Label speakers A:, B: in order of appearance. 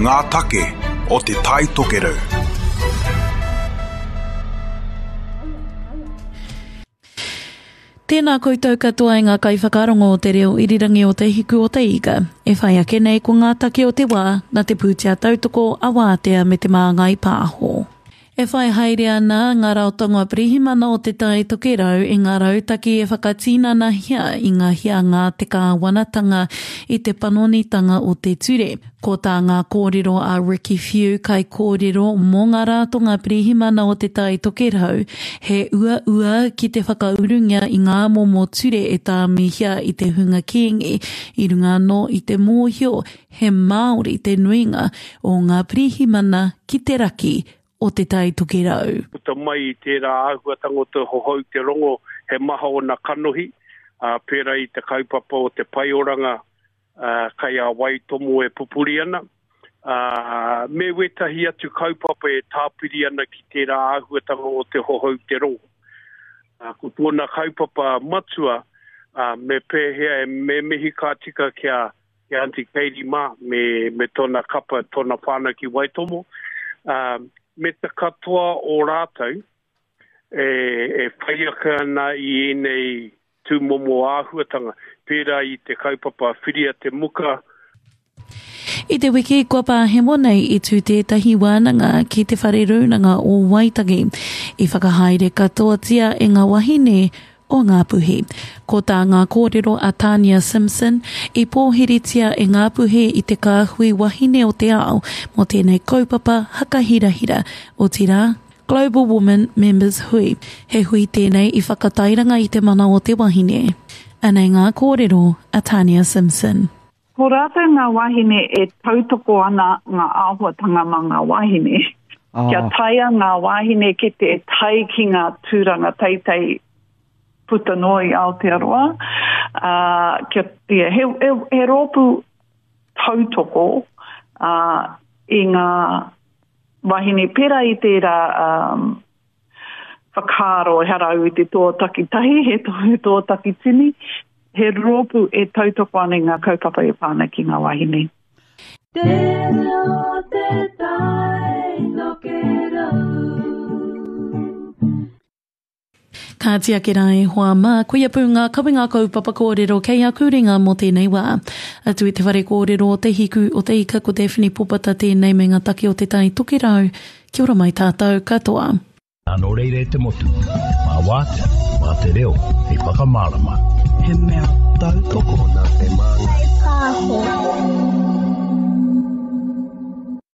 A: Ngā take o Te Tai Tokerau.
B: Tēnā koutou katoa e ngā kaiwhakarongo o te reo irirangi o Te Hiku o Te Ika. E whai ake nei ko ngā take o te wā nā te pūtea tautoko a Wātea me Te Māngai Pāho. E whai haere ana ngā ratonga pirihimana o Te Tai Tokerau i ngā rautaki e whakatinanahia i ngā hianga a te kāwanatanga i te panonitanga o te ture. Ko tā ngā kōrero a Ricky Whiu, kaikōrero mō ngā ratonga pirihimana o Te Tai Tokerau, he uaua ki te whakaurungia i ngā momo ture e tāmihia i te hunga kīngi, i runga anō i te mōhio He Māori te nuinga o ngā pirihimana ki te raki o Te Tai Tokerau.
C: Puta mai i tērā āhuatanga o te hohou te rongo he maha ōna kanohi, ā, pērā i te kaupapa o te paioranga kai a Waitomo e pupuri ana, ā, me wētahi atu kaupapa e tāpiri ana ki tērā āhuatanga o te hohou te rongo. Ā, ko tōna kaupapa matua, ā, me pēhea e me mihi ka tika kia ki a Aunty Katie mā, me, me tōna kapa, tōna whānau ki Waitomo, ā, me te katoa o rātou e, e whai ake ana i ēnei tūmomo āhuatanga, pērā i te kaupapa Whiria te Muka,
B: I te wiki kua pahemo nei i tū tētahi wānanga ki Te Whare Rūnanga o Waitangi. I whakahaere katoatia e ngā wahine o Ngāpuhi. Ko tā ngā kōrero a Tania Simpson, i pōhiritia e Ngāpuhi i te kāhui wahine o te ao mō tēnei kaupapa hakahirahira, otirā, Global Women Members Hui. He hui tēnei i whakatairanga i te mana o te wahine. Anei ngā kōrero a Tania Simpson.
D: Ko rātou ngā wāhine e tautoko ana ngā āhuatanga mā ngā wāhine. Ah. Kia taea ngā wāhine ki te tae ki ngā tūranga teitei puta noa i Aotearoa. Uh, kia, yeah, he, he, he rōpū tautoko uh, i ngā wāhine pērā i tērā um, whakaaro, ehara au i te toa takitahi, he toa, he toa takitini, he rōpū e tautoko ana i ngā kaupapa e pā ana ki ngā wāhine.
E: Te reo te tai tokerau.
B: Kāti ake rā e hoa mā, koia pū ngā kawenga kaupapa kōrero kei aku ringa mō tēnei wā. Atu i te whare kōrero o Te Hiku o Te Ika ko Daphne Popata tēnei me ngā take o Te Tai Tokerau. Kia ora mai tātou katoa.
F: Nā nō reira e te motu, mā Wātea, mā te reo hei whakamārama.
G: He mea tautoko
H: nā Te Māngai Pāho.